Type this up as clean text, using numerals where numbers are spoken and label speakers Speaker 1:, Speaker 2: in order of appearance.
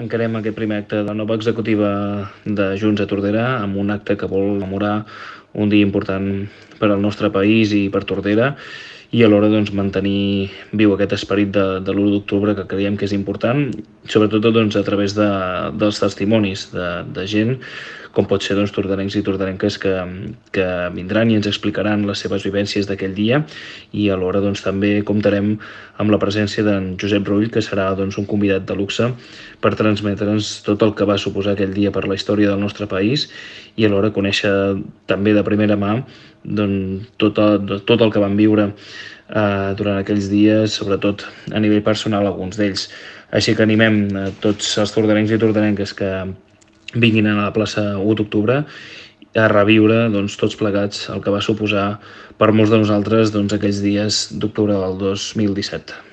Speaker 1: Encarem aquest primer acte de la nova executiva de Junts a Tordera amb un acte que vol rememorar un dia important per al nostre país i per Tordera i alhora doncs, mantenir viu aquest esperit de l'1 d'octubre que creiem que és important, sobretot doncs, a través dels testimonis de gent com pot ser doncs, tordarencs i tordarenques que vindran i ens explicaran les seves vivències d'aquell dia i alhora doncs, també comptarem amb la presència d'en Josep Rull, que serà doncs, un convidat de luxe per transmetre'ns tot el que va suposar aquell dia per la història del nostre país i alhora conèixer també de primera mà doncs, tot el que van viure durant aquells dies, sobretot a nivell personal alguns d'ells. Així que animem a tots els tordarencs i tordarenques que vinguin a la plaça 1 d'octubre a reviure doncs, tots plegats el que va suposar per molts de nosaltres doncs, aquells dies d'octubre del 2017.